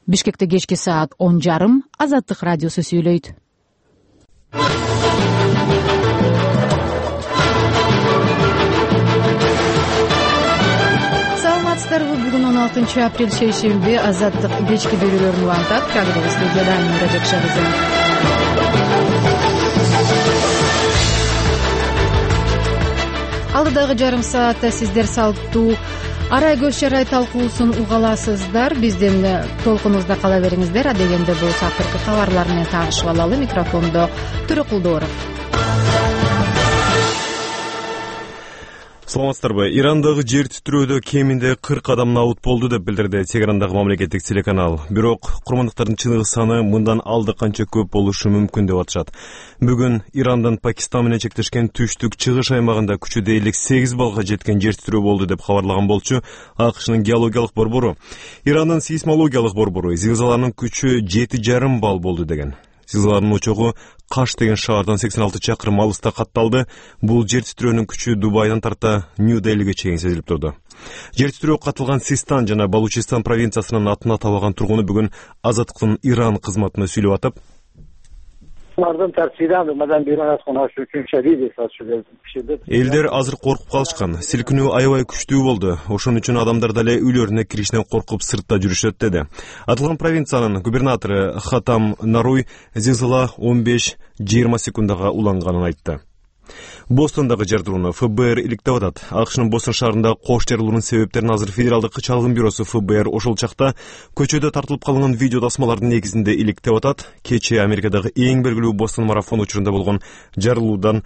Бишкекте кечки саат 10:30 Азаттык радиосу сүйлөйт. Саламатсыздарбы? Бүгүн 16 апрель шейшемби. Азаттык кечки берүүлөрүн улантат. Программа студияда Мира Жакшабызы. Алдыдагы жарым саатта сиздер салттуу арай көз чарай талкуусун уга аласыздар. Биздин толкунубузда кала бериңиздер. Адегенде болсо акыркы кабарлар менен таанышып алалы. Микрофондо Төрөкулдууров. Саламатсыздарбы? Ирандагы жер титирөөдө кеминде 40 адам набут болду деп билдирди Тегерандагы мамлекеттик телеканал. Бирок курмандыктардын чыныгы саны мындан алды канча көп болушу мүмкүн деп атышат. Бүгүн Ирандын Пакистан менен чектешкен түштүк чыгыш аймагында күчү дээрлик 8 балга жеткен жер титирөө болду деп кабарлаган болчу АКШнын геологиялык борбору. Ирандын сейсмологиялык борбору зилзаланын күчү 7,5 балл болду деген. Зилзаланын очогу Каш деген шаардан 86 чакырым алыста катталды. Бул жер титирөөнүн күчү Дубайдан тарта Нью-Делиге чейин сезилип турду. Жер титирөө катталган Систан жана Балучистан провинциясынын атына табаган тургуну бүгүн Азаттыктын Иран кызматына сүйлөп атып, элдер азыр коркуп калышкан. Силкинүү аябай күчтүү болду. Ошон үчүн адамдар дале үйлөрүнө киришинен коркуп сыртта жүрүшөт деди. Аталган провинциянын губернатору Хатам Наруй зилзала 15-20 секундага уланганын айтты. Бостондагы жардырууну ФБР иликтеп атат. АКШнын Бостон шаарында кош жарылуунун себептерин азыр Федералдык чалгын бюросу ФБР ошол чакта көчөдө тартылып калган видео тасмалардын негизинде иликтеп атат. Кечээ Америкадагы эң белгилүү Бостон марафон учурунда болгон жарылуудан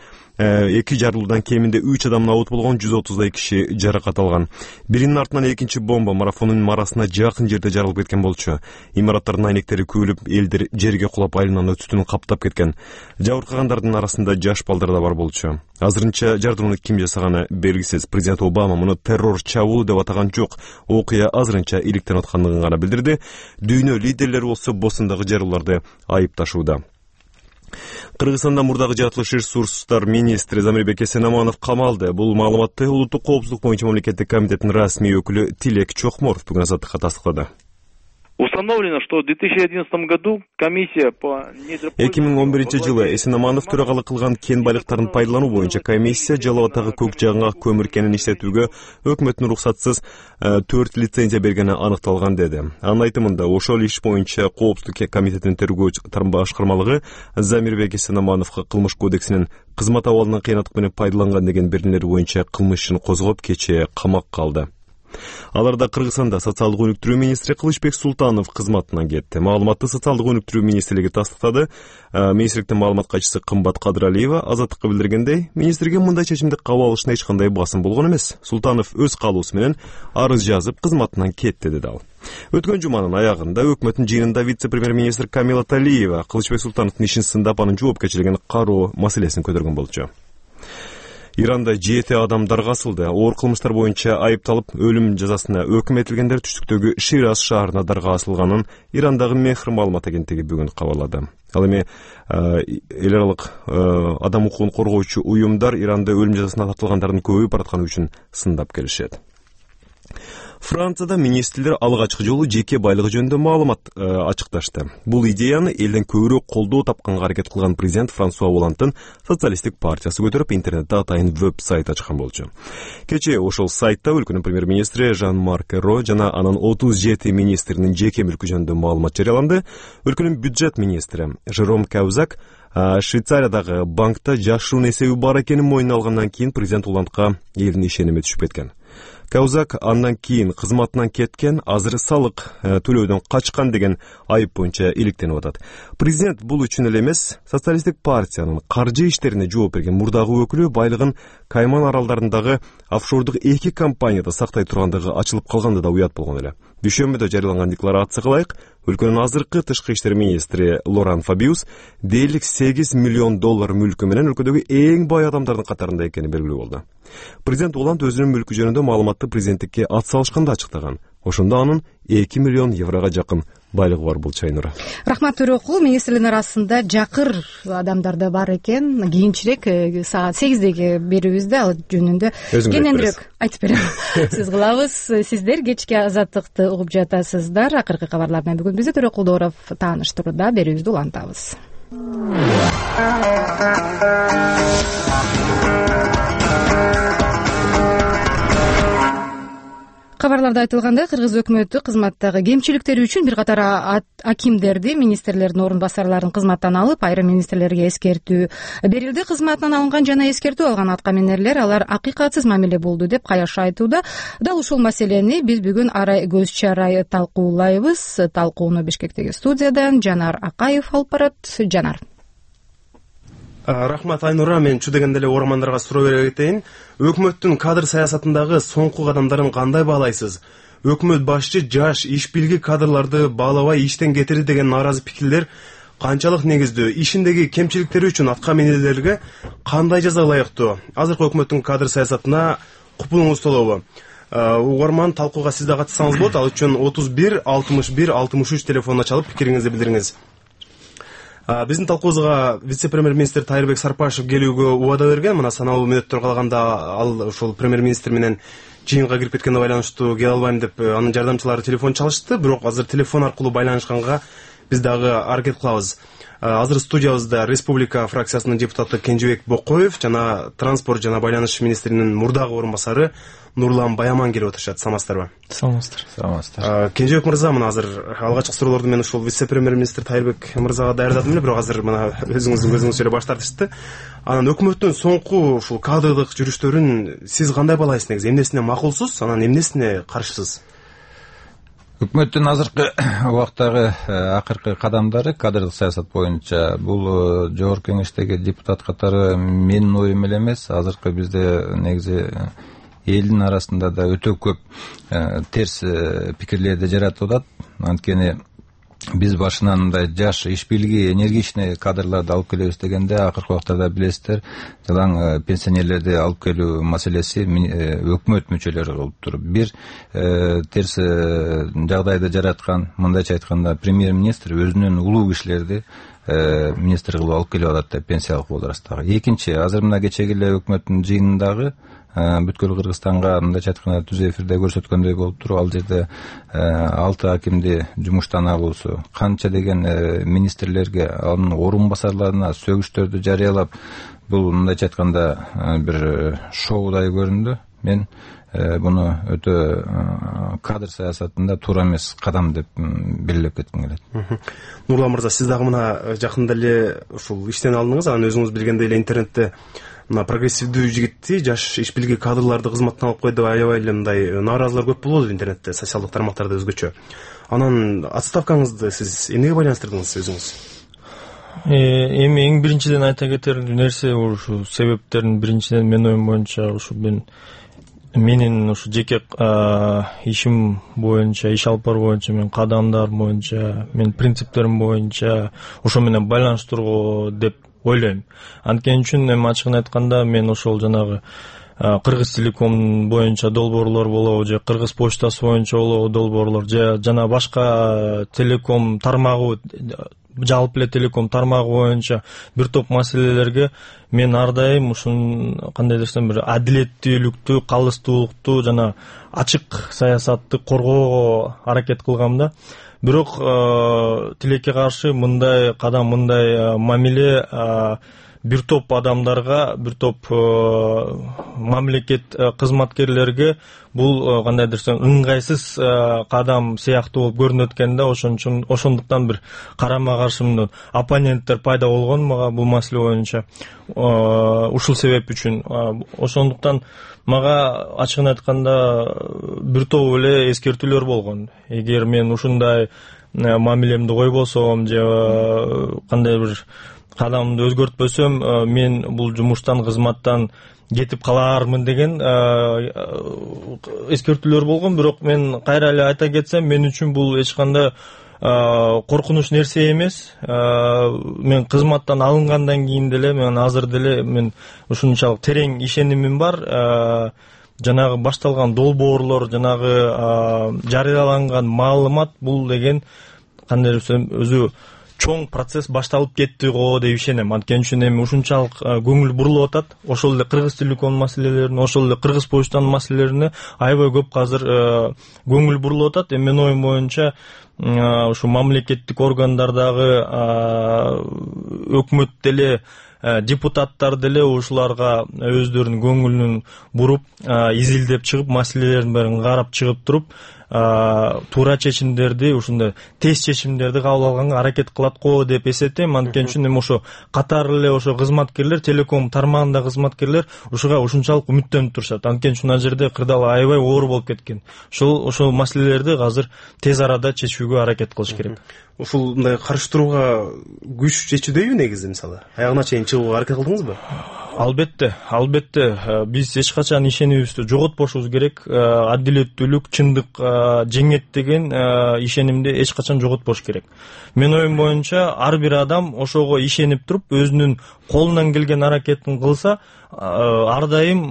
кеминде 3 адам набут болгон, 130 киши жаракат алган. Биринин артынан экинчи бомба марафондун марасына жакын жерде жарылып кеткен болчу. Имараттардын айнектери күйүлүп, элдер жерге кулап айлананы түтүн каптап кеткен. Жабыркагандардын арасында жаш балдар да бар болчу. Азырынча жардырууну ким жасаганы белгисиз. Президент Обама муну террор чабуул деп атаган жок. Окуя азырынча иликтенип аткандыгын гана билдирди. Дүйнө лидерлери болсо Бостондагы жарылууларды айыпташууда. Кыргызстанда мурдагы жаратылыш ресурстар министри Замирбек Эсенаманов камалды. Бул маалыматты улуттук коопсуздук боюнча мамлекеттик комитеттин расмий өкүлү Тилек Чокморов бүгүн Азаттыкка тастыктады. Установлено, что в 2011 году комиссия по 2011 жылы Эсенаманов төрагалык кылган кен байлыктарын пайдалануу боюнча комиссия Жалал Абадтагы көк жаагыңак көмүр кенин иштетүүгө өкмөттүн уруксатсыз 4 лицензия бергени аныкталган деди. Анын айтымында ошол иш боюнча коопсуздук комитетинин тергөө башкармалыгы Замирбек Эсенамановго кылмыш кодексинин кызмат абалынан кыянаттык менен пайдаланган деген беренелери боюнча кылмыш ишин козгоп кечээ камакка алды. Аларда Кыргызстанда социалдык өнүктүрүү министри Кылычбек Султанов кызматынан кетти. Маалыматты социалдык өнүктүрүү министрлиги тастыктады. Министрликтин маалымат катчысы Кымбат Кадыралиева Азаттыкка билдиргендей, министрге мындай чечимди кабыл алышына эч кандай басым болгон эмес. Султанов өз каалоосу менен арыз жазып кызматынан кетти деди ал. Өткөн жуманын аягында өкмөттүн жыйынында вице-премьер-министр Камила Талиева Кылычбек Султановдун ишин сындап анын жоопкерчилигин кароо маселесин көтөргөн болчу. Иранда 7 адам даргасылды. Оор кылмыштар боюнча айыпталып, өлүм жазасына өкүм этилгендер түштүктөгү Шираз шаарына дарга асылганын Ирандагы Мехр маалымат агенттиги бүгүн кабарлады. Ал эми эл аралык адам укугун коргоочу уюмдар Иранда өлүм жазасына тартылгандардын көбөйүп баратканы үчүн сындап келишет. Францияда министрлер алгачкы жолу жеке байлыгы жөнүндө маалымат ачыкташты. Бул идеяны элден көбүрөөк колдоо тапканга аракет кылган президент Франсуа Олландтын социалисттик партиясы көтөрүп, интернетте атайын веб-сайт ачкан болчу. Кечээ ошол сайтта өлкөнүн премьер-министри Жан-Марк Эро жана анын 37 министринин жеке мүлкү жөнүндө маалымат жарыяланды. Өлкөнүн бюджет министри Жером Каузак Швейцариядагы банкта жашыруун эсеби бар экенин мойнуна алгандан кийин президент Олландга элдин ишеними түшүп кеткен. Каузак андан кийин кызматынан кеткен, азыр салык төлөөдөн качкан деген айып боюнча иликтенип атат. Президент бул үчүн эле эмес, социалисттик партиянын каржы иштерине жооп берген мурдагы өкүлү байлыгын Кайман аралдарындагы офшордук 2 компанияда сактай тургандыгы ачылып калганда да уят болгон эле. Дүйшөмбүдө жарыяланган декларацияга ылайык, өлкөнүн азыркы тышкы иштер министри Лоран Фабиус дээрлик $8 миллион мүлкү менен өлкөдөгү эң бай адамдардын катарында экени белгилүү болду. Президент Оланд өзүнүн мүлкү жөнүндө маалыматты президенттикке ат салышканда ачыктаган. Ошондо анын €2 миллион жакын байлыгы бар болчу Айнура. Рахмат Төрөкул. Министрликтин арасында жакыр адамдар да бар экен. Кийинчерээк саат 8-деги берүүбүздө ал жөнүндө кененирээк айтып берем. Сиз кылабыз. Сиздер кечки Азаттыкты угуп жатасыздар. Акыркы кабарлар менен бүгүн бизди Төрөкул Дооров тааныштырууда. Берүүбүздү улантабыз. Кабарларда айтылгандай, кыргыз өкмөтү кызматтагы кемчиликтери үчүн бир катар акимдерди, министрлердин орун басарларын кызматтан алып, айрым министрлерге эскертүү берилди. Кызматтан алынган жана эскертүү алган аткаминерлер алар акыйкатсыз мамиле болду деп каяш айтууда. Дал ушул маселени биз бүгүн арай көз чарай талкуулайбыз. Талкууну Бишкектеги студиядан Жанар Акаев алып барат. Жанар. Рахмат Айнура, мен чу дегенде эле угармандарга суроо бере кетейин. Өкмөттүн кадр саясатындагы соңку кадамдарын кандай баалайсыз? Өкмөт башчы жаш, иш билги кадрларды баалабай иштен кетирди деген нааразы пикирлер канчалык негиздүү? Ишиндеги кемчиликтери үчүн аткаминерлерге кандай жаза ылайыктуу? Азыркы өкмөттүн кадр саясатына купулуңуз толобу? Угарман, талкууга сиз да катышсаңыз болот. Ал үчүн 31 61 63 телефонуна чалып пикириңизди билдириңиз. Биздин талкуубузга вице-премьер-министр Тайырбек Сарпашев келүүгө убада берген. Мына саналуу мүнөттөр калганда ал ушул премьер-министр менен жыйынга кирип кеткенге байланыштуу келе албайм деп анын жардамчылары телефон чалышты. Бирок азыр телефон аркылуу байланышканга биз дагы аракет кылабыз. Азыр студиябызда Республика фракциясынын депутаты Кенжебек Бокоев жана транспорт жана байланыш министринин мурдагы орун басары Нурлан Баяман келип отурушат. Саламатсыздарбы? Саламатсыздар. Кенжебек мырза, мына азыр алгачкы суроолорду мен ушул вице-премьер-министр Тайырбек мырзага даярдадым эле, бирок азыр мына өзүңүздүн көзүңүзчө эле баш тартышты. Анан өкмөттүн соңку ушул кадрдык жүрүштөрүн сиз кандай баалайсыз негизи? Эмнесине макулсуз, анан эмнесине каршысыз? Өкмөттүн азыркы убактагы акыркы кадамдары кадрдык саясат боюнча бул жогорку кеңештеги депутат катары менин оюм эле эмес. Азыркы бизде негизи элдин арасында да өтө көп терс пикирлерди жаратып атат. Анткени биз башынан мындай жаш, иш билги, энергичный кадрларды алып келебиз дегенде акыркы убактарда билесиздер, жалаң пенсионерлерди алып келүү маселеси өкмөт мүчөлөрү болуп туруп бир терс жагдайды жараткан. Мындайча айтканда, премьер-министр өзүнүн улуу кишилерди министр кылып алып келип атат деп, пенсиялык возрасттагы. Экинчи, азыр мына кечеги эле өкмөттүн жыйынындагы бүткүл Кыргызстанга мындайча айтканда түз эфирде көрсөткөндөй болуп туруп, ал жерде 6 акимди жумуштан алуусу, канча деген министрлерге, анын орун басарларына сөгүштөрдү жарыялап, бул мындайча айтканда бир шоудай көрүндү. Мен буну өтө кадр саясатында туура эмес кадам деп белгилеп кетким келет. Нурлан мырза, сиз дагы мына жакында эле ушул иштен алдыңыз, анан өзүңүз билгендей эле интернетте мына прогрессивдүү жигитти, жаш иш билги кадрларды кызматтан алып койду деп аябай эле мындай нааразылар көп болду интернетте, социалдык тармактарда өзгөчө. Анан отставкаңызды сиз эмнеге байланыштырдыңыз өзүңүз? Эми эң биринчиден айта кетер нерсе, ушу себептердин биринчиден менин оюм боюнча ушу менин ушу жеке ишим боюнча, иш алып баруу боюнча, мен кадамдар боюнча, мен принциптерим боюнча ошо менен байланыштыруу деп ойлойм. Анткени үчүн эми ачыгын айтканда мен ошол жанагы Кыргыз телеком боюнча долбоорлор болобу, же Кыргыз почтасы боюнча болобу долбоорлор, же жана башка телеком тармагы, жалпы эле телеком тармагы боюнча бир топ маселелерге мен ар дайым ушун кандай десем, бир адилеттүүлүктү, калыстуулукту жана ачык саясатты коргоого аракет кылгам да. Бирок тилекке каршы мындай кадам, мындай мамиле бир топ адамдарга, бир топ мамлекет кызматкерлерге бул кандай десем ыңгайсыз кадам сыяктуу болуп көрүнөт экен да. Ошондуктан бир карама каршы оппоненттер пайда болгон мага бул маселе боюнча. Ушул себеп үчүн ошондуктан мага ачыгын айтканда бир топ эле эскертүүлөр болгон. Эгер мен ушундай мамилемди койбосом же кандай бир кадамды өзгөртпөсөм, мен бул жумуштан, кызматтан кетип калаармын деген эскертүүлөр болгон. Бирок мен кайра эле айта кетсем, мен үчүн бул эч кандай коркунуч нерсе эмес. Мен кызматтан алынгандан кийин деле, мен азыр деле мен ушунчалык терең ишенимим бар. Жанагы башталган долбоорлор, жанагы жарыяланган маалымат, бул деген кандай десем өзү чоң процесс башталып кетти го деп ишенем. Анткени үчүн эми ушунчалык көңүл бурулуп атат. Ошол эле Кыргыз Телеком маселелерине, ошол эле Кыргыз почтанын маселелерине аябай көп азыр көңүл бурулуп атат. Эми менин оюм боюнча ушу мамлекеттик органдардагы өкмөт деле, депутаттар деле ушуларга өздөрүнүн көңүлүн буруп, изилдеп чыгып, маселелердин баарын карап чыгып туруп, туура чечимдерди, ушундай тез чечимдерди кабыл алганга аракет кылат го деп эсептейм. Анткени үчүн эми ошо катары эле ошо кызматкерлер, телеком тармагындагы кызматкерлер ушуга ушунчалык үмүттөнүп турушат. Анткени үчүн ал жерде кырдаал аябай оор болуп кеткен. Ошол маселелерди азыр тез арада чечүүгө аракет кылыш керек. Ушундай каршы турууга күч жетүүдөйбү негизи? Мисалы аягына чейин чыгууга аракет кылдыңызбы? Албетте биз эч качан ишенимибизди жоготпошубуз керек. Адилеттүүлүк, чындык жеңет деген ишенимди эч качан жоготпош керек. Менин оюм боюнча ар бир адам ошого ишенип туруп, өзүнүн колунан келген аракетин кылса, ар дайым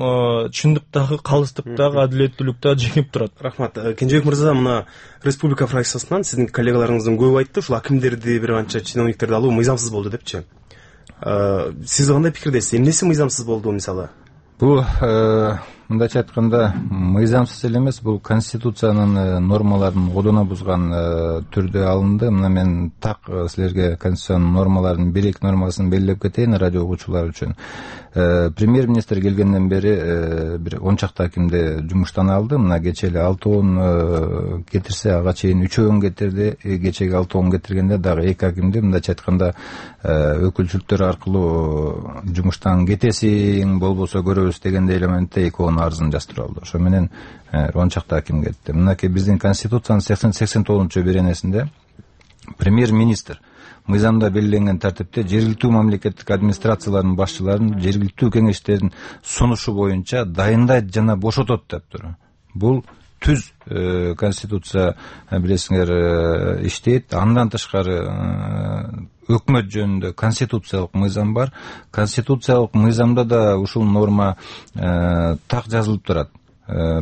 чындыктагы, калыстыктагы, адилеттүүлүктө жеңип турат. Рахмат. Кенжебек мырза, мына республика фракциясынан сиздин коллегаларыңыздын көбү айтты, ушул акимдерди, бир канча чиновниктерди алуу мыйзамсыз болду депчи. Сиз кандай пикирдесиз? Эмнеси мыйзамсыз болду мисалы? Бул мындайча айтканда мыйзамсыз эле эмес, бул конституциянын нормаларын одоно бузган түрдө алынды. Мына мен так силерге конституциянын нормаларынын бир-эки нормасын белгилеп кетейин радио угуучулар үчүн. Премьер-министр келгенден бери бир 10 чакты акимди жумуштан алды. Мына кечээ эле 6 кетирсе, ага чейин 3 кетирди. Кечеги 6 кетиргенде дагы 2 акимди мындайча айтканда өкүлчүлүктөр аркылуу жумуштан кетесиң, болбосо көрөбүз дегенде элементте 2 арызын жаздырып алды. Ошо менен 10 чакты аким кетти. Мынакей биздин конституциянын 89-беренесинде премьер-министр мыйзамда белгиленген тартипте жергиликтүү мамлекеттик администрациялардын башчыларын жергиликтүү кеңештердин сунушу боюнча дайындайт жана бошотот дептир. Бул түз конституция билесиңер иштейт. Андан тышкары өкмөт жөнүндө конституциялык мыйзам бар. Конституциялык мыйзамда да ушул норма так жазылып турат.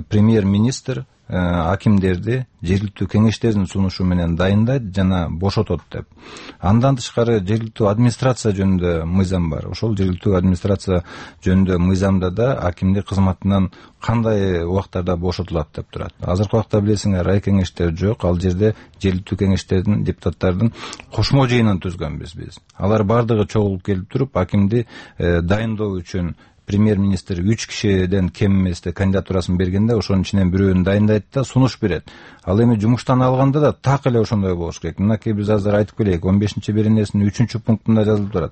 Премьер-министр акимдерди жергиликтүү кеңештердин сунушу менен дайындайт жана бошотот деп. Андан тышкары жергиликтүү администрация жөнүндө мыйзам бар. Ошол жергиликтүү администрация жөнүндө мыйзамда да акимди кызматынан кандай убактарда бошотулат деп турат. Азыркы убакта билесиңер, рай кеңештер жок. Ал жерде жергиликтүү кеңештердин, депутаттардын кошмо жыйынын түзгөнбүз биз. Алар бардыгы чогулуп келип туруп, акимди дайындоо үчүн премьер-министр 3 кишиден кем эместе кандидатурасын бергенде ошонун ичинен бирөөнү дайындайт да сунуш берет. Ал эми жумуштан алганда да так эле ошондой болуш керек. Мынакей биз азыр айтып келейик, 15-беренесинин 3-пунктунда жазылып турат.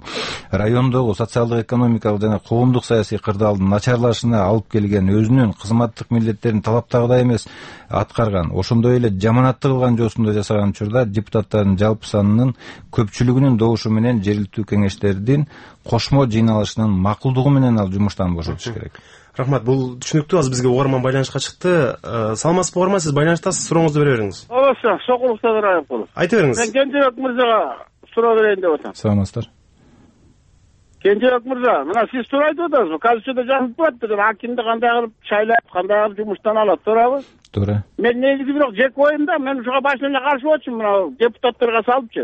Райондогу социалдык, экономикалык жана коомдук саясий кырдаалдын начарлашына алып келген өзүнүн кызматтык милдеттерин талаптагыдай эмес аткарган, ошондой эле жаманатты кылган жосунда жасаган учурда депутаттардын жалпы санынын көпчүлүгүнүн добушу менен жергиликтүү кеңештердин кошмо жыйналышынын макулдугу менен ал жумуштан бошотуш керек. Рахмат, бул түшүнүктүү. Азыр бизге угарман байланышка чыкты. Саламатсызбы угарман, сиз байланыштасыз, сурооңузду бере бериңиз. Ооба, Сокулукта Райымкулов. Айта бериңиз. Мен Кенжебек мырзага суроо берейин деп атам. Саламатсыздар. Кенжебек мырза, мына сиз туура айтып атасыз. Конституцияда жазылып турат, акимди кандай кылып шайлап, кандай кылып жумуштан алат, туурабы? Туура. Мен негизи бирок жеке оюмда, мен ушуга башынан эле каршы болчумун, мына депутаттарга салыпчы.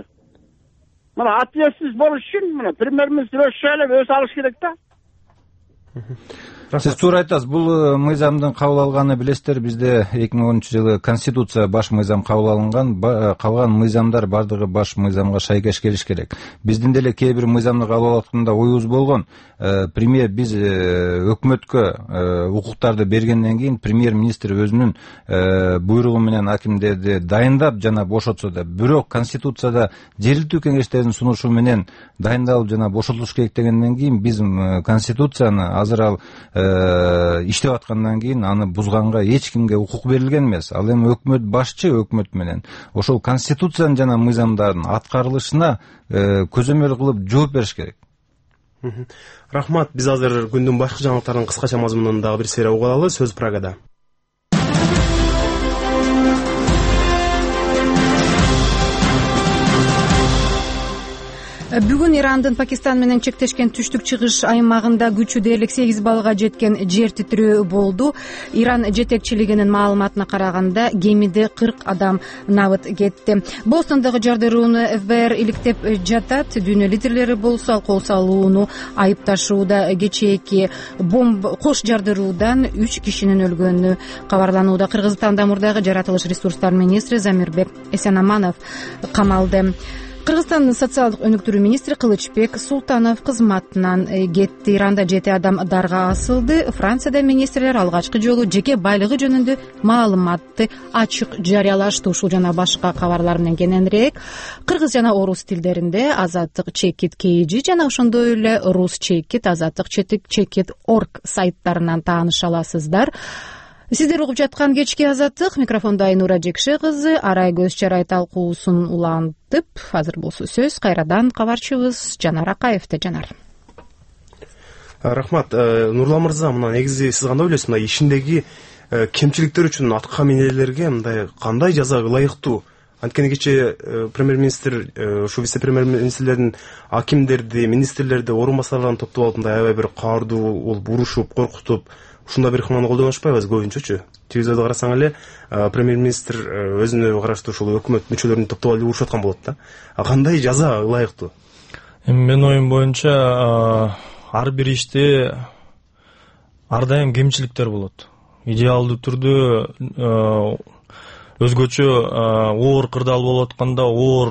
Мына ответственность болуш үчүн мына премьер-министр өзү шайлап, өзү алыш керек да. Сиз туура айтасыз. Бул мыйзамдын кабыл алганы билесиздер, бизде 2010-жылы конституция баш мыйзам кабыл алынган, калган мыйзамдар бардыгы баш мыйзамга шайкеш келиш керек. Биздин деле кээ бир мыйзамды кабыл атканда оюбуз болгон. Премьер биз өкмөткө укуктарды бергенден кийин премьер-министр өзүнүн буйругу менен акимдерди дайындап жана бошотсо да, бирок конституцияда жергиликтүү кеңештердин сунушу менен дайындалып жана бошотулуш керек дегенден кийин биз конституцияны азыр ал иштеп аткандан кийин аны бузганга эч кимге укук берилген эмес. Ал эми өкмөт башчы өкмөт менен ошол конституциянын жана мыйзамдардын аткарылышына көзөмөл кылып жооп бериш керек. Рахмат, биз азыр күндүн башкы жаңылыктарынын кыскача мазмунун дагы бир серия угуп алалы. Сөз Прагада. Бүгүн Ирандын Пакистан менен чектешкен түштүк чыгыш аймагында күчү дээрлик 8 баллга жеткен жер титирөө болду. Иран жетекчилигинин маалыматына караганда кемиде 40 адам набыт кетти. Бостондогу жардырууну ФБР иликтеп жатат. Дүйнө лидерлери болсо ал кол салууну айыпташууда. Кечээки кош жардыруудан 3 кишинин өлгөнү кабарланууда. Кыргызстанда мурдагы жаратылыш ресурстар министри Замирбек Эсенаманов камалды. Кыргызстандын социалдык өнүктүрүү министри Кылычбек Султанов кызматынан кетти. Иранда 7 адам дарга асылды. Францияда министрлер алгачкы жолу жеке байлыгы жөнүндө маалыматты ачык жарыялашты. Ушул жана башка кабарлар менен кененирээк кыргыз жана орус тилдеринде Азаттык чекит KG жана ошондой эле рус чекит Азаттык чекит орг сайттарынан тааныша аласыздар. Сиздер угуп жаткан кечки Азаттык, микрофондо Айнура Жекше кызы, Арай Көз Чарай талкуусун улантып, азыр болсо сөз кайрадан кабарчыбыз Жанар Акаевде. Жанар. Рахмат. Нурлан мырза, мына негизи сиз кандай ойлойсуз? Мына ишиндеги кемчиликтер үчүн атка минелерге мындай кандай жаза ылайыктуу? Анткени кечээ премьер-министр, ушу вице-премьер-министрлердин акимдерди, министрлерди, орун басарларын топтоп алып мындай аябай бир каардуу болуп урушуп, коркутуп ушундай бир ыкманы колдонушпайбы көбүнчөчү? Телевизордо карасаң эле премьер-министр өзүнө караштуу ушул өкмөт мүчөлөрүн топтоп алып урушуп аткан болот да. Кандай жаза ылайыктуу? Менин оюм боюнча ар бир иште ар дайым кемчиликтер болот. Идеалдуу түрдө өзгөчө оор кырдаал болуп атканда, оор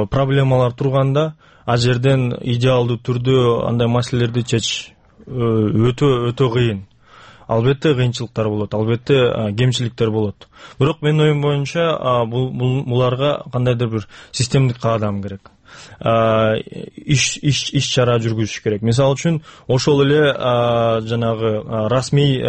проблемалар турганда, ал жерден идеалдуу түрдө андай маселелерди чечиш өтө кыйын. Албетте кыйынчылыктар болот, албетте кемчиликтер болот. Бирок менин оюм боюнча буларга кандайдыр бир системдик каадам керек. Иш чара жүргүзүш керек. Мисалы үчүн ошол эле жанагы расмий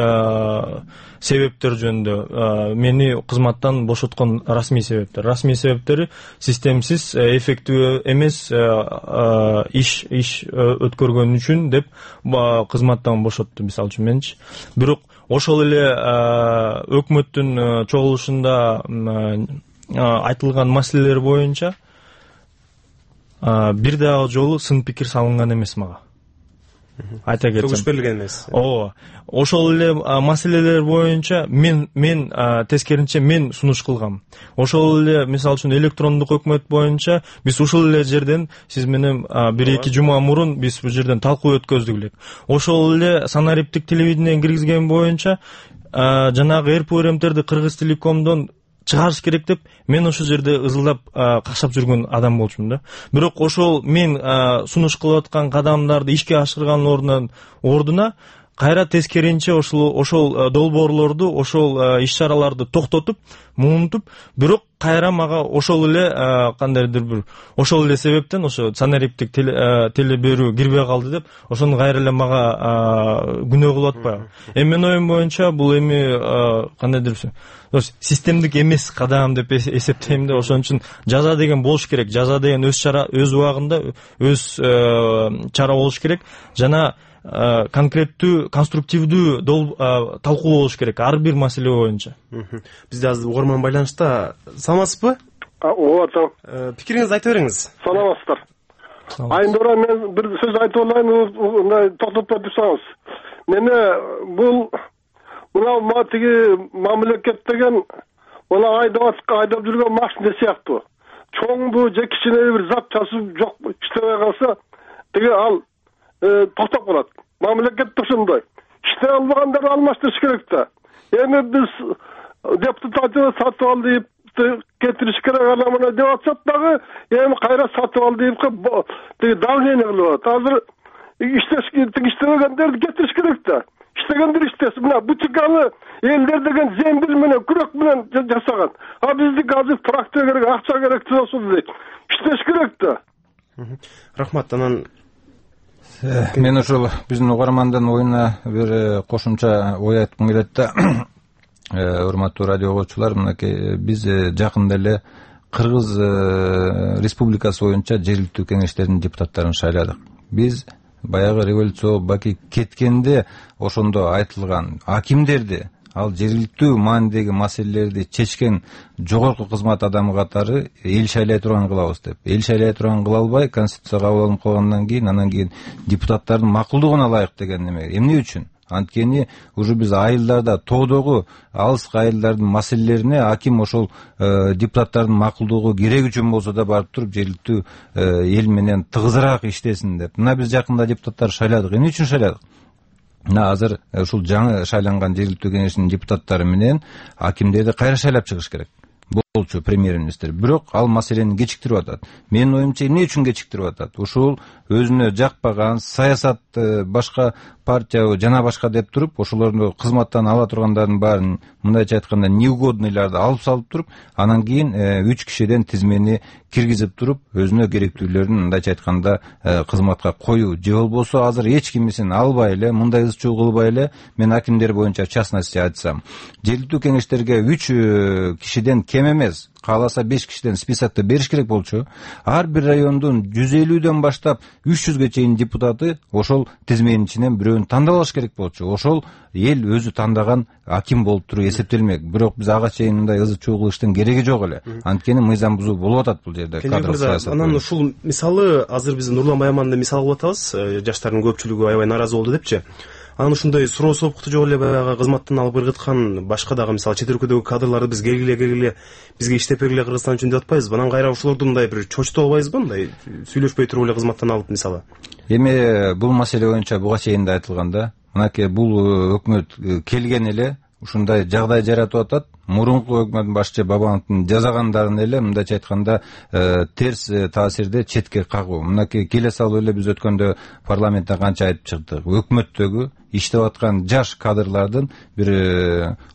себептер жөнүндө мени кызматтан бошоткон расмий себептери системсиз, эффективдүү эмес иш өткөргөн үчүн деп кызматтан бошотту, мисалы үчүн менчи. Бирок ошол эле өкмөттүн чогулушунда айтылган маселелер боюнча бир дагы жолу сын пикир салынган эмес мага. Айта кетсем. Согуш берилген эмес. Ооба. Ошол эле маселелер боюнча мен тескеринче мен сунуш кылгам. Ошол эле мисалы үчүн электрондук өкмөт боюнча биз ушул эле жерден сиз менен 1-2 жума мурун биз бул жерден талкуу өткөздүк элек. Ошол эле санариптик телевидение киргизген боюнча жанагы РПРМтерди Кыргыз Телекомдон чыгарыш керек деп мен ошол жерде ызылдап какшап жүргөн адам болчумун да. Бирок ошол мен сунуш кылып аткан кадамдарды ишке ашырган ордуна кайра тескеринче ошол долбоорлорду, ошол иш-чараларды токтотуп, муунтуп, бирок кайра мага ошол эле кандайдыр бир ошол эле себептен ошо санариптик теле берүү кирбей калды деп ошону кайра эле мага күнөө кылып атпайбы. Менин оюм боюнча бул кандайдыр системдик эмес кадам деп эсептейм да. Ошон үчүн жаза деген болуш керек. Жаза деген өз убагында өз чара болуш керек. Жана конкреттүү, конструктивдүү талкуу болуш керек ар бир маселе боюнча. Бизде азыр угарман байланышта. Саламатсызбы? Ооба. Пикириңизди айта бериңиз. Саламатсыздар. Айнура, мен бир сөз айтып алайын, токтотпой турсаңыз. Мени мына тиги мамлекет деген мына айдап жүргөн машина сыяктуу. Чоңду же кичине бир зат часып жок иштебей калса, тиги ал токтоп калат. Мамлекет ошондой. Иштей албагандарды алмаштырыш керек да. Эми биз депутаттарды сатып ал дейп кетириш керек, ана мына деп атсак дагы, эми кайра сатып ал дейп тиги давление кылып атат. Азыр иштебегендерди кетириш керек да. Иштегендер иштесин. Мына бутикалы элдер деген зембил менен, күрөк менен жасаган. Биздики азыр трактор керек, акча керек дейт. Иштеш керек да. Рахмат. Анан мен ошол биздин угармандын оюна бир кошумча ой айткым келет да. Урматтуу радио угуучулар, мынакей биз жакында эле Кыргыз Республикасы боюнча жергиликтүү кеңештердин депутаттарын шайладык. Биз баягы революция Баки кеткенде ошондо айтылган акимдерди ал жергиликтүү маанидеги маселелерди чечкен жогорку кызмат адамы катары эл шайлай турган кылабыз деп. Эл шайлай турган кыла албай конституция кабыл алынып калгандан кийин анан кийин депутаттардын макулдугуна ылайык деген неме. Эмне үчүн? Анткени уже биз айылдарда, тоодогу алыскы айылдардын маселелерине аким ошол депутаттардын макулдугу керек үчүн болсо да барып туруп жергиликтүү эл менен тыгызыраак иштесин деп. Мына биз жакында депутаттар шайладык. Эмне үчүн шайладык? Мына азыр ушул жаңы шайланган жергиликтүү кеңештин депутаттары менен акимдерди кайра шайлап чыгыш керек болчу премьер-министр. Бирок ал маселени кечиктирип атат. Менин оюмча эмне үчүн кечиктирип атат? Ушул өзүнө жакпаган саясат башка партия жана башка деп туруп, ошолорду кызматтан ала тургандардын баарын, мындайча айтканда, неугодныйларды алып салып туруп, анан кийин 3 кишиден тизмени киргизип туруп, өзүнө керектүүлөрүн мындайча айтканда кызматка коюу. Же болбосо азыр эч кимисин албай эле, мындай ыз-чуу кылбай эле, мен акимдер боюнча в частности айтсам, жергиликтүү кеңештерге 3 кишиден кем эмес, кааласа 5 кишиден списокты бериш керек болчу. Ар бир райондун 150дөн баштап 300ге чейин депутаты ошол тизменин ичинен бирөөнү тандап алыш керек болчу. Ошол эл өзү тандаган аким болуп туруп эсептелмек. Бирок биз ага чейин мындай ызы-чуу кылыштын кереги жок эле. Анткени мыйзам бузуу болуп атат бул жерде. Анан ушул мисалы азыр биз Нурлан Байманды мисал кылып атабыз. Жаштардын көпчүлүгү аябай нааразы болду депчи. Анан ушундай суроо сопукту жок эле баягы кызматтан алып ыргыткан башка дагы мисалы чет өлкөдөгү кадрларды биз келгиле бизге иштеп бергиле Кыргызстан үчүн деп атпайбызбы? Анан кайра ошолорду мындай бир чочто албайбызбы, мындай сүйлөшпөй туруп эле кызматтан алып мисалы? Эми бул маселе боюнча буга чейин да айтылган да. Мынакей бул өкмөт келген эле ушундай жагдай жаратып атат. Мурунку өкмөттүн башчы Бабановдун жазагандарын эле мындайча айтканда терс таасирде четке кагуу. Мынакей келе салып эле биз өткөндө парламентте канча айтып чыктык. Өкмөттөгү иштеп аткан жаш кадрлардын бир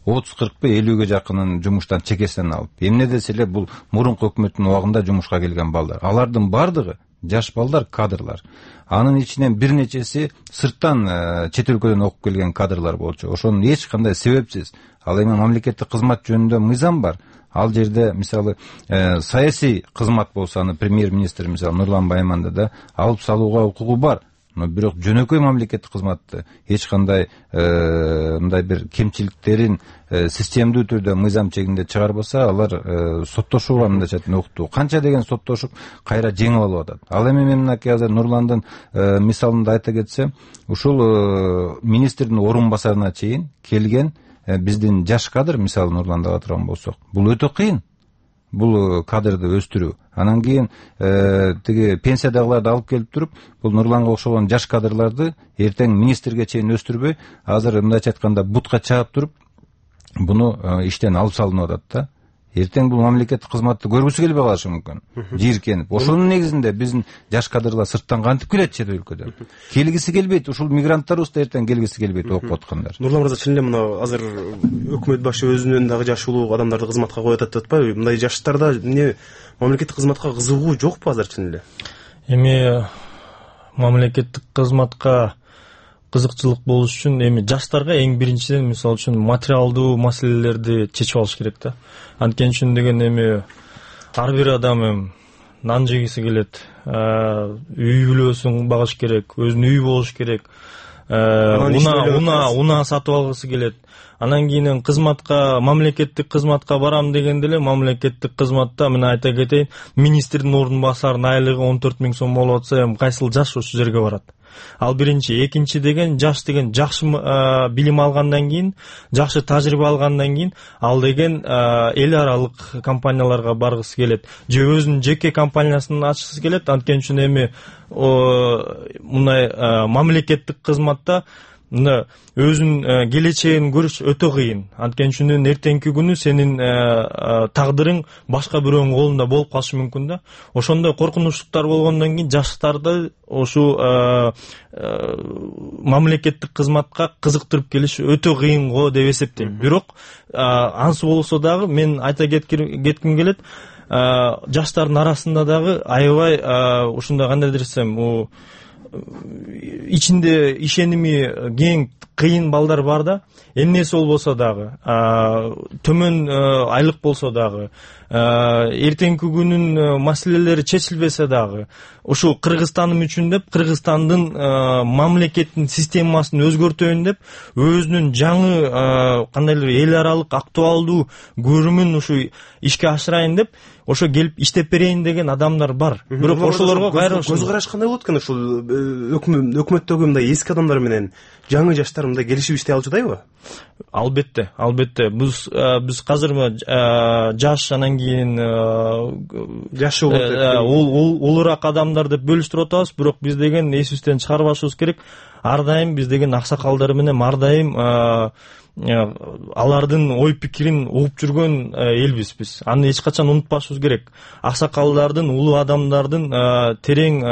30-40 50ге жакынын жумуштан чекесинен алып. Эмне десе эле бул мурунку өкмөттүн убагында жумушка келген балдар. Алардын бардыгы жаш балдар, кадрлар. Анын ичинен бир нечеси сырттан чет өлкөдөн окуп келген кадрлар болчу. Ошонун эч кандай себепсиз. Ал эми мамлекеттик кызмат жөнүндө мыйзам бар. Ал жерде мисалы саясий кызмат болсо, аны премьер-министр мисалы Нурлан Байманды да алып салууга укугу бар. Но бирок жөнөкөй мамлекеттик кызматты эч кандай мындай бир кемчиликтерин системдүү түрдө мыйзам чегинде чыгарбаса, алар соттошууга мындайча айтканда уктуу. Канча деген соттошуп кайра жеңип алып атат. Ал эми мен мынакей азыр Нурландын мисалында айта кетсем, ушул министрдин орун басарына чейин келген биздин жаш кадр, мисалы Нурланды ала турган болсок, бул өтө кыйын. Бул кадрды өстүрүү. Анан кийин тиги пенсиядагыларды алып келип туруп, бул Нурланга окшогон жаш кадрларды эртең министрге чейин өстүрбөй, азыр мындайча айтканда бутка чаап туруп, буну иштен алып салынып атат да. Эртең бул мамлекеттик кызматты көргүсү келбей калышы мүмкүн. Жийиркенип. Ошонун негизинде биздин жаш кадрлар сырттан кантип келет чет өлкөдөн? Келгиси келбейт. Ушул мигранттарыбыз да эртең келгиси келбейт окуп аткандар. Нурлан мырза, чын эле мына азыр өкмөт башы өзүнөн дагы жаш улуу адамдарды кызматка коюп атат деп атпайбы? Мындай жаштарда эмне мамлекеттик кызматка кызыгуу жокпу азыр чын эле? Эми мамлекеттик кызматка кызыкчылык болуш үчүн эми жаштарга эң биринчиден мисалы үчүн материалдуу маселелерди чечип алыш керек да. Анткени үчүн деген эми ар бир адам нан жегиси келет, үй бүлөсүн багыш керек, өзүнүн үйү болуш керек, унаа сатып алгысы келет. Анан кийин кызматка, мамлекеттик кызматка барам дегенде эле мамлекеттик кызматта мына айта кетейин, министрдин ордун басарынын айлыгы 14 000 сом болуп атса, эми кайсыл жаш ошол жерге барат? Ал биринчи. Экинчи деген жаш деген жакшы билим алгандан кийин, жакшы тажрыйба алгандан кийин ал деген эл аралык компанияларга баргысы келет, же өзүнүн жеке компаниясын ачкысы келет. Анткени үчүн эми мындай мамлекеттик кызматта өзүнүн келечегин көрүш өтө кыйын. Анткени үчүн эртеңки күнү сенин тагдырың башка бирөөнүн колунда болуп калышы мүмкүн да. Ошондой коркунучтуктар болгондон кийин жаштарды ошо мамлекеттик кызматка кызыктырып келиш өтө кыйын го деп эсептейм. Бирок ансы болсо дагы мен айта кетким келет, жаштардын арасында дагы аябай ушундай кандай десем, ичинде ишеними кең кыйын балдар бар да, эмнеси болбосо дагы, төмөн айлык болсо дагы, эртеңки күнүн маселелери чечилбесе дагы, ушул Кыргызстаным үчүн деп, Кыргызстандын мамлекеттин системасын өзгөртөйүн деп, өзүнүн жаңы кандайдыр эл аралык актуалдуу көрүмүн ушу ишке ашырайын деп, ошо келип иштеп берейин деген адамдар бар. Бирок ошолорго кайра көз караш кандай болот экен? Ушул өкмөттөгү мындай эски адамдар менен жаңы жаштар мындай келишип иштей алчудайбы? Албетте. Биз казыр жаш, анан кийин жашы улураак адамдар деп бөлүштүрүп атабыз, бирок биз деген эсибизден чыгарбашыбыз керек. Ар дайым биз деген аксакалдар менен ар дайым алардын ой пикирин угуп жүргөн элбиз биз. Аны эч качан унутпашыбыз керек. Аксакалдардын, улуу адамдардын терең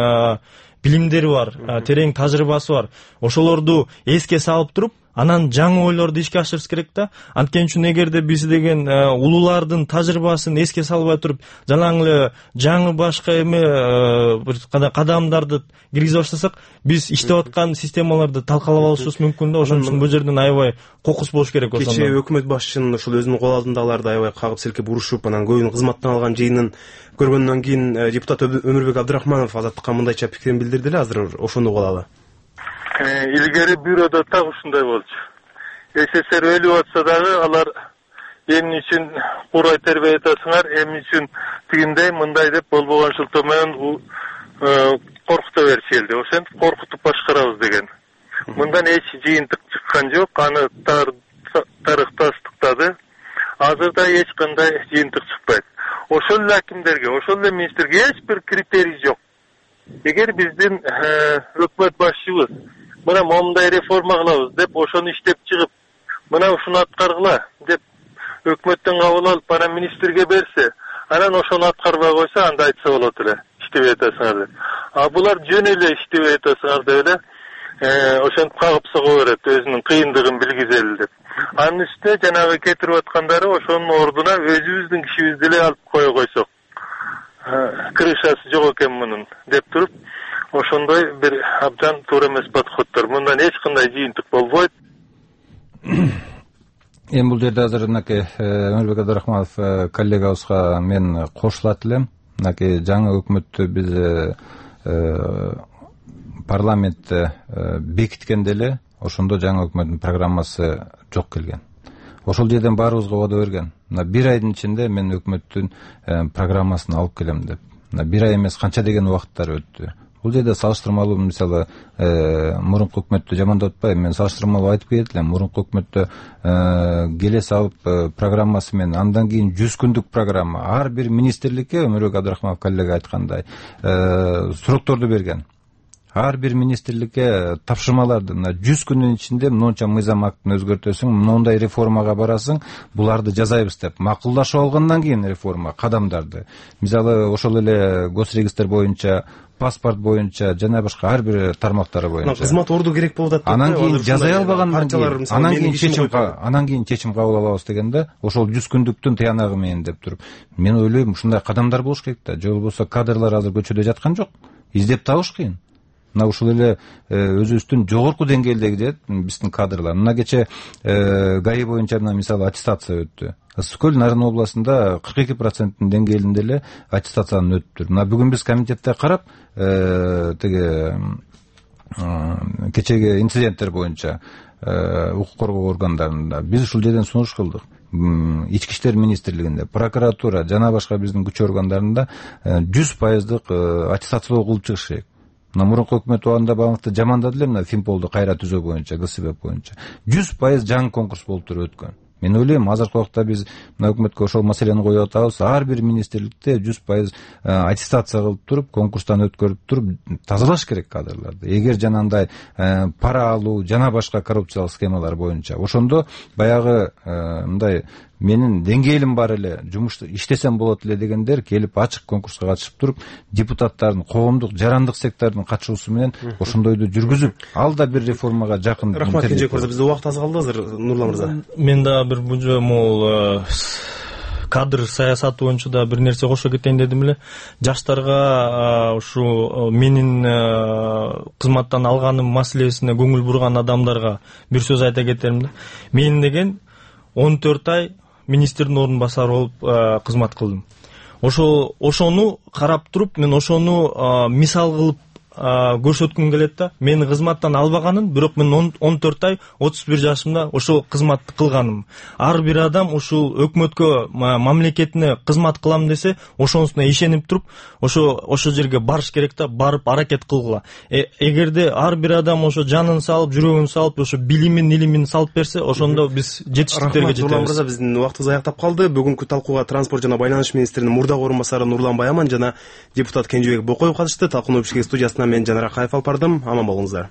билимдери бар, терең тажрыйбасы бар. Ошолорду эске салып туруп, анан жаңы ойлорду ишке ашырыш керек да. Анткени үчүн эгерде биз деген улуулардын тажрыйбасын эске салбай туруп, жанагы жаңы башка эме бир кадамдарды киргизип баштасак, биз иштеп аткан системаларды талкалап алышыбыз мүмкүн да. Ошон үчүн бул жерден аябай кокус болуш керек. Кечээ өкмөт башчынын ушул өзүнүн кол алдындагыларды аябай кагып силкеп урушуп, анан көбүнүн кызматтан алган жыйынын көргөндөн кийин депутат Өмүрбек Абдрахманов Азаттыкка мындайча пикирин билдирди эле. Азыр ошону угуп алалы. Илгери бюрода так ушундай болчу. СССР өлүп атса дагы алар эмне үчүн курай тербей атасыңар, эмне үчүн тигиндей мындай деп болбогон шылтоо менен коркута беришелди. Ошентип коркутуп башкарабыз деген. Мындан эч жыйынтык чыккан жок. Аны тарыхтастыктады. Азырда эч кандай жыйынтык чыкпайт. Ошол эле акимдерге, ошол эле министрге эч бир критерий жок. Эгер биздин өкмөт башчыбыз мына момундай реформа кылабыз деп ошону иштеп чыгып, мына ушуну аткаргыла деп өкмөттөн кабыл алып, анан министрге берсе, анан ошону аткарбай койсо, анда айтса болот эле, иштебей атасыңар деп. Булар жөн эле иштебей атасыңар деп эле ошентип кагып сого берет, өзүнүн кыйындыгын билгизели деп. Анын үстүнө жанагы кетирип аткандары ошонун ордуна өзүбүздүн кишибизди эле алып кое койсок, крышасы жок экен мунун деп туруп, ошондой бир абдан туура эмес подходдор. Мындан эч кандай жыйынтык болбойт. Эми бул жерде азыр мынакей Өмүрбек Абдрахманов коллегабызга мен кошулат элем. Мынакей жаңы өкмөттү биз парламентте бекиткенде эле ошондо жаңы өкмөттүн программасы жок келген. Ошол жерден баарыбызга убада берген. Мына бир айдын ичинде мен өкмөттүн программасын алып келем деп. Мына бир ай эмес, канча деген убакыттар өттү. Бул жерде салыштырмалуу, мисалы, мурунку өкмөттү жамандап атпайм, мен салыштырмалуу айтып кетет элем. Мурунку өкмөттө келе салып программасы менен андан кийин 100 күндүк программа. Ар бир министрликке Өмүрбек Абдрахманов коллега айткандай сурокторду берген. Ар бир министрликке тапшырмаларды 100 күндүн ичинде мынча мыйзам актын өзгөртөсүң, мындай реформага барасың, буларды жазайбыз деп макулдашып алгандан кийин реформа кадамдарды. Мисалы, ошол эле госрегистр боюнча, паспорт боюнча жана башка ар бир тармактары боюнча. Кызмат орду керек болуп атат. Анан кийин жазай албагандан кийин, анан кийин чечим кабыл алабыз дегенде, ошол 100 күндүктүн тыянагы менен деп туруп, мен ойлойм, ушундай кадамдар болуш керек да. Же болбосо кадрлар азыр көчөдө жаткан жок. Издеп табыш кыйын. Мына ушул эле өзүбүздүн жогорку деңгээлдеги деп биздин кадрлар. Мына кече ГАИ боюнча мисалы аттестация өттү. Ысык көл Нарын областында 42% деңгээлинде эле аттестацияны өттүр. Мына бүгүн биз комитетте карап, теге кечеги инциденттер боюнча укук коргоо органдарында биз ушул жерден сунуш кылдык. Ички иштер министрлигинде, прокуратура жана башка биздин күч органдарында 100% аттестациялоо кылып чыгыш керек. Мына мурунку өкмөт убагында багынты жамандады эле, мына Фимполду кайра түзөө боюнча, ГСБ боюнча 100% жаңы конкурс болуп туруп өткөн. Мен ойлойм, азыркы убакта биз мына өкмөткө ошол маселени коюп атабыз. Ар бир министрликте 100% аттестация кылып туруп, конкурстан өткөрүп туруп тазалаш керек кадрларды. Эгер жанагындай пара алуу жана башка коррупциялык схемалар боюнча, ошондо баягы мындай менин деңгээлим бар эле, жумуш иштесем болот эле дегендер келип ачык конкурска катышып туруп, депутаттардын, коомдук, жарандык сектордун катышуусу менен ошондойду жүргүзүп, ал да бир реформага жакын. Рахмат Кенжебек мырза, бизде убакыт аз калды азыр, Нурлан мырза. Мен да бир могул кадр саясаты боюнча да бир нерсе кошо кетейин дедим эле. Жаштарга ушу менин кызматтан алганым маселесине көңүл бурган адамдарга бир сөз айта кетерим да. Мен деген 14 ай министрдин ордун басары болуп кызмат кылдым. Ошону карап туруп мен ошону мисал кылып көрсөткүм келет да. Мени кызматтан албаганын, бирок мен 14 ай 31 жашымда ошол кызматты кылганым. Ар бир адам ушул өкмөткө, мамлекетине кызмат кылам десе, ошонусуна ишенип туруп, ошо жерге барыш керек да, барып аракет кылгыла. Эгерде ар бир адам ошо жанын салып, жүрөгүн салып, ошо билимин, илимин салып берсе, ошондо биз жетиштиктерге жетебиз. Нурлан мырза, биздин убактыбыз аяктап калды. Бүгүнкү талкууга транспорт жана байланыш министринин мурдагы орун басары Нурлан Баяман жана депутат Кенжебек Бокоев катышты. Талкууну ишке студиясына мен Жанар Акаев алып бардым. Аман болуңуздар.